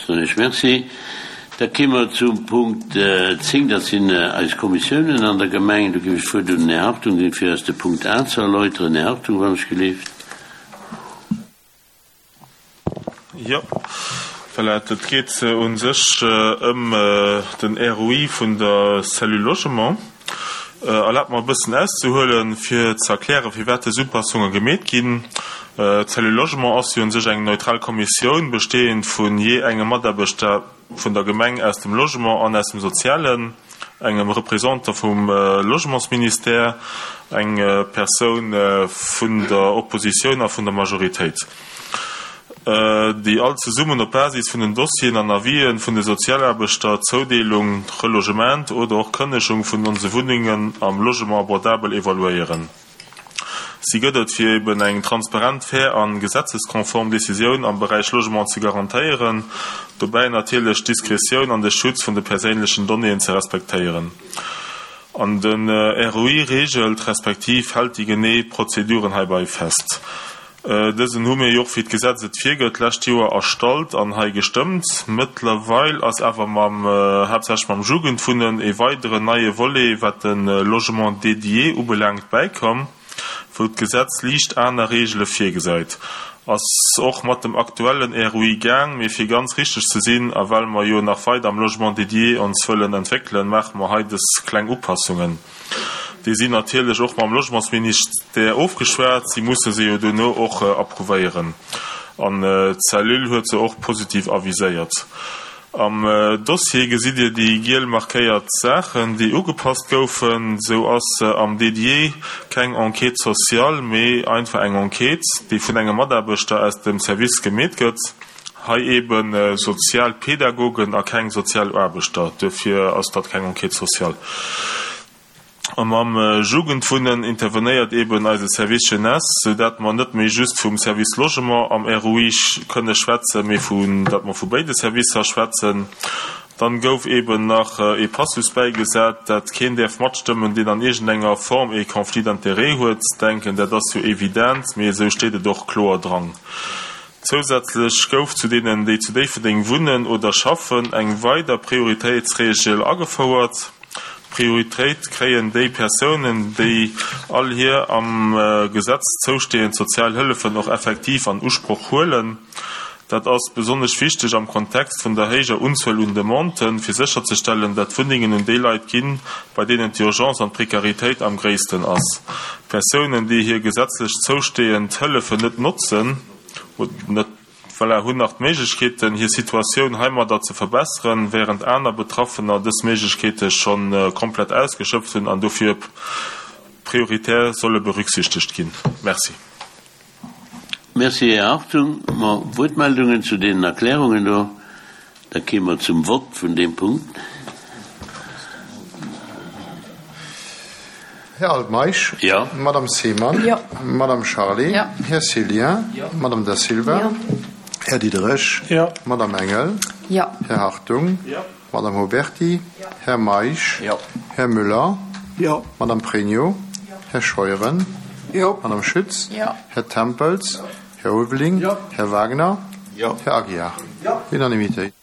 Soen ech Merci. Da kéime mer zum Punkt 10, dat sinn eis Kommissiounen an der Gemeng. Do géif ech d'Wuert un den Här Hartung ginn, fir eis de Punkt A ze erläuteren. Här Hartung, wann ech gelift. Jo, voilà, et geet u sech ëm den ROI vun der Cellule Logement. Erlaabt mer e bëssen auszehuelen, fir ze erklären, firwat dës Upassunge gemeet ginn. D'Cellule Logement ass jo u sech eng neutral Kommissioun, bestehend vun jee engem Mataarbechter vun der Gemeng aus dem Logement an aus dem Sozialen, engem Représentant vum Logementsministère, eng Persoun vun der Oppositioun a vun der Majoritéit, déi all zesummen op Basis vun den Dossieren an Avisen vun de Sozialaarbechter d'Zoudeelung, d'Relogement oder och d'Kënnegung vun onse Wunnengen am Logement abordabel evaluéieren. Si gëtt et, fir eben eng transparent, fair a gesetzeskonform Decisioun am Beräich Logement ze garantéieren, dobäi natierlech d'Diskretioun an de Schutz vun de perséinlechen Donnéeën ze respektéieren. An den ROI reegelt respektiv hält déi genee Prozeduren heibei fest. Dësen hu mir jo och, wéi d'Gesetz et virgëtt, d'lescht Joer erstallt an hei gestëmmt. Mëttlerweil ass awer mam, haaptsächlech mam Jugendwunnen, e weideren neie Volet, wat de Logement dédié ubelaangt, bäikomm, wou d'Gesetz liicht aner Reegele virgesäit. Ass och mat dem aktuellen ROI gaang, mee fir ganz richteg ze sinn, a well mer jo nach weider am Logement dédié ons wëllen entwéckelen, maache mer hei dës kleng Upassungen. Déi sinn natierlech och mam Logementsministère ofgeschwat. Si musse se jo duerno och approuvéieren. An d'Cellule huet se och positiv aviséiert. Am Dossier gesitt Dir déi giel markéiert Saachen, déi ugepasst goufen. Sou ass am Dédié keng Enquête sociale, mee einfach eng Enquête, déi vun engem Mataarbechter aus dem Service gemeet gëtt. Hei eebe Sozialpädagogen a keng Sozialaarbechter, duerfir ass dat keng Enquête sociale. A mam Jugendwunnen intervenéiert eeben eise Service Jeunesse, sou dat mer net méi just vum Service Logement am ROI kënne schwätzen, mee vu dat mer vu béide Servicer schwätzen. Dann gouf eeben nach ee Passus bäigesat, dat keen däerf matstëmmen, deen an iergendenger Form ee Conflit d'intérêts huet. Denken, dat ass jo evident, mee esou steet et och kloer dran. Zousätzlech gouf zu deenen, déi zu Déifferdeng wunnen oder schaffen, eng weider Prioritéitsreegel agefouert. Prioritéit kréien déi Persounen, déi all hir am Gesetz zoustehend sozial Hëllefen och effektiv an Usproch huelen. Dat ass besonnesch wichteg am Kontext vun der héijer Unzuel un Demanden, fir sécherzestellen, dat Wunnengen un déi Leit ginn, bei deenen d'Urgence an d'Prekaritéit am gréissten ass. Persounen, déi hir gesetzlech zoustehend Hëllefen net notzen, net, voilà, hunn nach d'Méiglechkeeten, hir Situatioun heimadder ze verbesseren, während aner Betraffener dës Méiglechkeete scho komplett ausgeschöpft hunn an dofir prioritär solle berücksichtegt ginn. Merci. Merci, Här Hartung. Ma Wuertmeldungen zu deenen Erklärungen do? Da kéime mer zum Vott vun deem Punkt. Här Altmeisch. Jo. Madame Seemann. Jo. Madame Charlé. Jo. Här Cillien. Jo. Madame Da Silva. Jo. Här Diderich. Jo. Madame Engel. Jo. Här Hartung. Jo. Madame Huberty. Jo. Här Meisch. Jo. Här Müller. Jo. Madame Pregno. Jo. Här Scheuren. Jo. Madame Schütz. Jo. Här Tempels. Jo. Här Ulveling. Jo. Här Wagner. Jo. Här Aguiar. Jo. Unanimitéit.